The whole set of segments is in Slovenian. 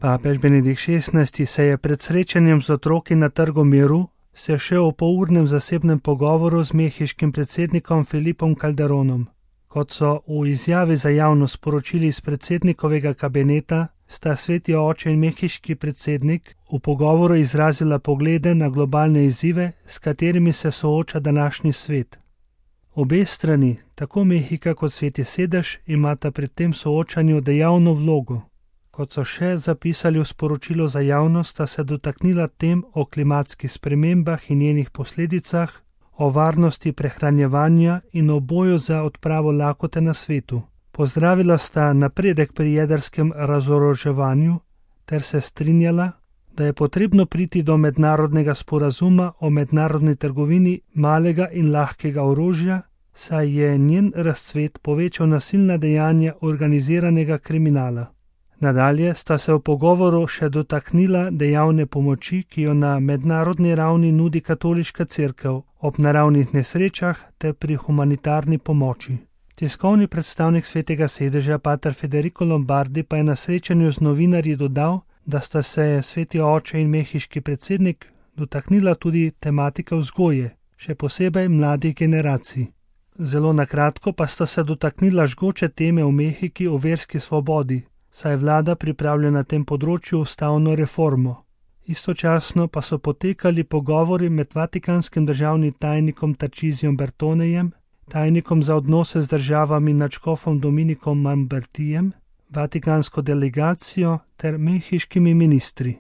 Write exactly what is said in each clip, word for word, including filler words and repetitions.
Papež Benedikt šestnajsti se je pred srečanjem z otroki na Trgu miru sešel v polurnem zasebnem pogovoru z mehiškim predsednikom Felipom Calderonom. Kot so v izjavi za javnost sporočili iz predsednikovega kabineta, sta sveti oče in mehiški predsednik v pogovoru izrazila poglede na globalne izzive, s katerimi se sooča današnji svet. Obe strani, tako Mehika kot Sveti sedež, imata pri tem soočanju dejavno vlogo. Kot so še zapisali v sporočilu za javnost, sta se dotaknila tem o klimatskih spremembah in njenih posledicah, o varnosti prehranjevanja in o boju za odpravo lakote na svetu. Pozdravila sta napredek pri jedrskem razoroževanju ter se strinjala, da je potrebno priti do mednarodnega sporazuma o mednarodni trgovini malega in lahkega orožja, saj je njen razcvet povečal nasilna dejanja organiziranega kriminala. Nadalje sta se v pogovoru še dotaknila dejavne pomoči, ki jo na mednarodni ravni nudi katoliška cerkev ob naravnih nesrečah ter pri humanitarni pomoči. Tiskovni predstavnik Svetega sedeža pater Federico Lombardi pa je na srečanju z novinarji dodal, da sta se sveti oče in mehiški predsednik dotaknila tudi tematike vzgoje, še posebej mladih generacij. Zelo nakratko pa sta se dotaknila žgoče teme v Mehiki o verski svobodi, saj vlada pripravlja na tem področju ustavno reformo. Istočasno pa so potekali pogovori med vatikanskim državnim tajnikom Tarcisijem Bertonejem, tajnikom za odnose z državami nadškofom Dominikom Mambertijem, vatikansko delegacijo ter mehiškimi ministri.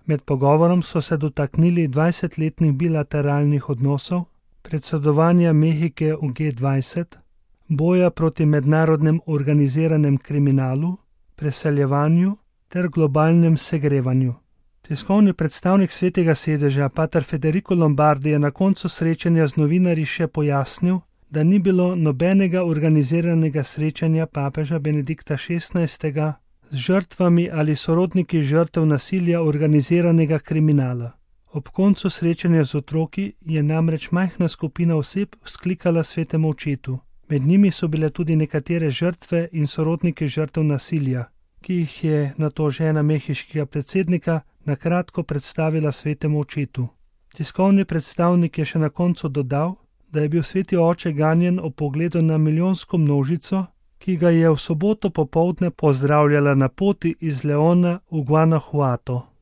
Med pogovorom so se dotaknili dvajsetletnih bilateralnih odnosov, predsedovanja Mehike v G dvajset, boja proti mednarodnem organiziranem kriminalu, preseljevanju ter globalnem segrevanju. Tiskovni predstavnik Svetega sedeža pater Federico Lombardi je na koncu srečanja z novinarji še pojasnil, da ni bilo nobenega organiziranega srečanja papeža Benedikta šestnajstega z žrtvami ali sorodniki žrtev nasilja organiziranega kriminala. Ob koncu srečanja z otroki je namreč majhna skupina oseb vzklikala svetemu očetu. Med njimi so bile tudi nekatere žrtve in sorodniki žrtev nasilja, ki jih je nato žena mehiškega predsednika na kratko predstavila svetemu očetu. Tiskovni predstavnik je še na koncu dodal, da je bil sveti oče ganjen ob pogledu na milijonsko množico, ki ga je v soboto popoldne pozdravljala na poti iz Leona v Guanajuato.